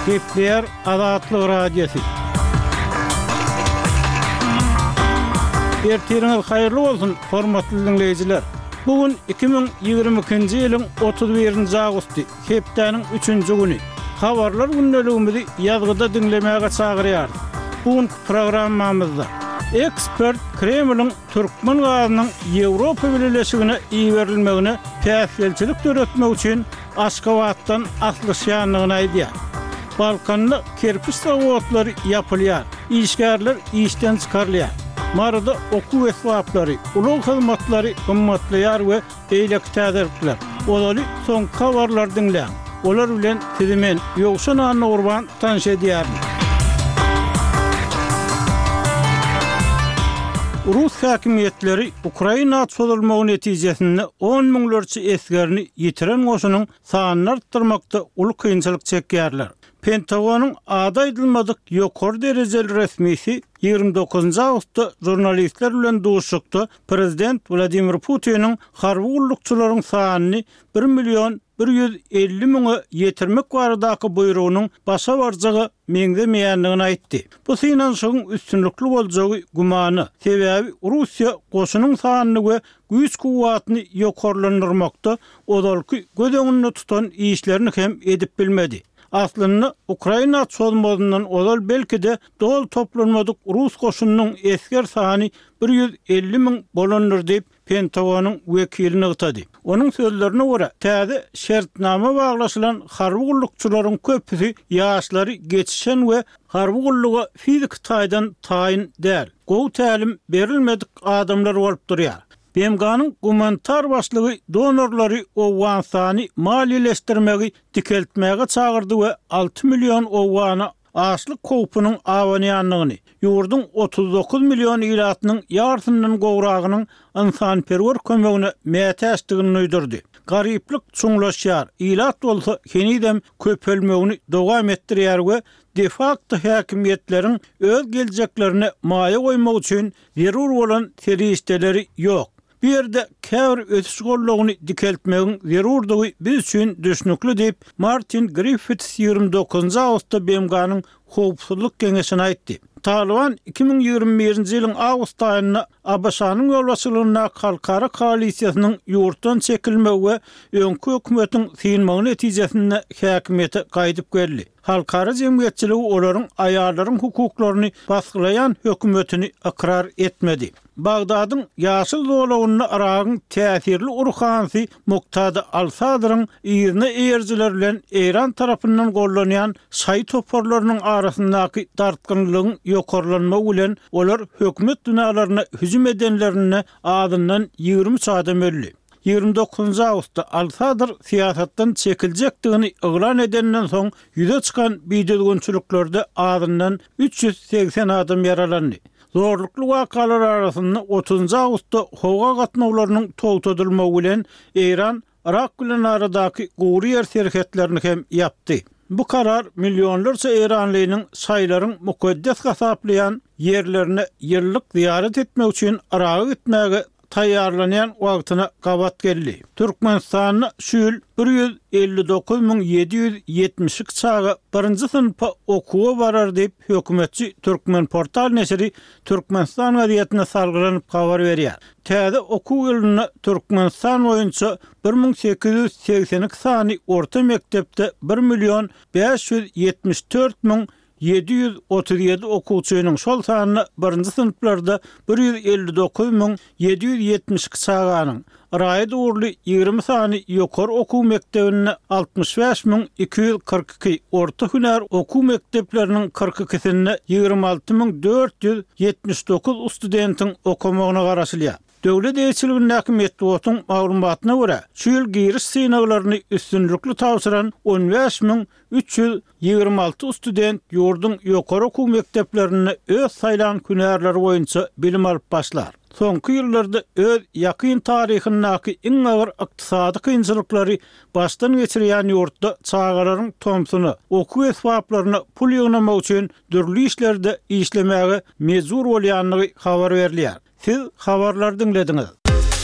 Gepleýär Azatlyk Radiosy. Ertiriňiz haýyrly bolsun, hormatly diňleýjiler! Bu gün 2022-nji ýylyň 31-nji awgusty, hepdäniň üçünji güni. Habarlar gündeligimizi ýazgyda diňlemäge çagyrýarys. Bu günki programmamyzda ekspert Kremliň türkmen gazynyň Ýewropa Bileleşigine iberilmegine päsgelçilik döretmek üçin Aşgabatdan aslyşýandygyny aýdýar. Balkanda kerpiç zawodlary ýapylýar, işgärler işden çykarylýar. Maryda okuw esbaplary, ulag hyzmatlary gymmatlaýar we beýleki täzelikler. Ozaly soňky habarlary diňläň. Olar bilen sizi men, Ýowşan Annagurban tanyş edýärin. Rus häkimiýetleri Ukraina çozulmagy netijesinde on müňlerçe esgerini ýitiren goşunyň sanyny artdyrmakda uly kynçylyk çekýärler. Pentagonyň ady aýdylmadyk ýokary derejeli resmisi 29 awgustda žurnalistler bilen duşuşykda prezident Wladimir Putiniň harby gullukçylaryň sanyny bir million 150 müňe ýetirmek baradaky buýrugynyň başa barjaga meňzemeýändigini aýtdy. Bu synanyşygyň üstünlikli boljagy gümana, sebäbi Russiýa goşunyň sanyny we güýç-kuwwatyny ýokarlandyrmakda ozalky göz öňünde tutan işlerini hem edip bilmedi. Aslynda, Ukraina çozmazyndan ozal belki-de doly toplanmadyk rus goşunynyň esger sany 150 müň bolandyr diýip, Pentagonyň wekili nygtady. Onuň sözlerine görä, täze şertnama baglaşylan harby gullukçylaryň köpüsi ýaşlary geçişen we harby gulluga fiziki taýdan taýyn däl, gowy tälim berilmedik adamlar bolup durýar. BMG-niň gumanitar başlygy donorlary Owganystany maliýeleşdirmegi dikeltmäge çagyrdy we 6 million owgana açlyk howpunyň abanýandygyny, ýurduň 39 million ilatynyň ýarysyndan gowragynyň ynsanperwer kömegine mätäçdigini duýdurdy. Garyplyk çuňlaşýar, ilat bolsa henizem köpelmegini dowam etdirýär we de-fakto häkimiýetleriň öz geljeklerine maýa goýmak üçin zerur bolan serişdeleri ýok. Bu ýerde käbir ösüş goldawyny dikeltmegiň zerurdygy biz üçin düşnükli diýip, Martin Griffiths 29 awgustda BMG-niň Howpsuzlyk Geňeşine aýtdy. Talyban 2021-nji ýylyň awgust aýynda ABŞ-nyň ýolbaşçylygyndaky halkara koalisiýasynyň ýurtdan çekilmegi we öňki hökümetiň synmagy netijesinde häkimiýete gaýdyp geldi. Halkara jemgyýetçiligi olaryň aýallaryň hukuklaryny basgylaýan hökümetini ykrar etmedi. Bagdadyň ýaşyl zolagynda Yragyň täsirli ruhanysy Muktada al-Sadryň yzyna eýerijiler bilen Eýran tarapyndan gollanýan şaýy toparlarynyň arasyndaky dartgynlylygyň ýokarlanmagy bilen olar hökümet binalaryna hüjüm edenlerinde azyndan 23 adam öldi. 29 awgustda al-Sadr syýasatdan çekiljekdigini yglan edenden soň ýüze çykan bidüzgünçiliklerde azyndan 380 adam ýaralandy. Zorlukly wakalar arasynda otuzynjy awgustda howa gatnawlarynyň togtadylmagy bilen Eýran Yrak bilen aradaky gury ýer serhetlerini hem ýapdy. Bu karar millionlarça eýranlynyň şaýylaryň mukaddes hasaplaýan ýerlerine ýyllyk zyýarat etmek üçin Yraga gitmäge taýýarlanýan wagtyna gabat geldi. Türkmenistanda şu ýyl 159 772 çaga birinji synpa okuwa barar diýip, hökümetçi Türkmenportal neşiri Türkmenistan gazetine salgylanyp habar berýär. Täze okuw ýylynda Türkmenistan boýunça 1882 sany orta mekdepde bir million 574 müň 737 okuwçynyň, şol sanda birinji synplarda 159 772 çaganyň, raýat ugurly 20 sany ýokary okuw mekdebinde 65 242, orta hünär okuw mekdepleriniň 42-sinde 26 479 studentiň okamagyna garaşylýar. Döwlet eýeçiligindäki metbugatyň maglumatyna görä, şu ýyl giriş synaglaryny üstünlikli tabşyran 15 326 student ýurduň ýokary okuw mekdeplerinde öz saýlan hünärleri boýunça bilim alyp başlar. Soňky ýyllarda öz ýakyn taryhyndaky iň agyr ykdysady kynçylyklary başdan geçirýän ýurtda çagalaryň tomsuna okuw esbaplaryna pul ýygnamak üçin dürli işlerde işlemäge mejbur bolýandygy habar berilýär. Siz habarlary diňlediňiz.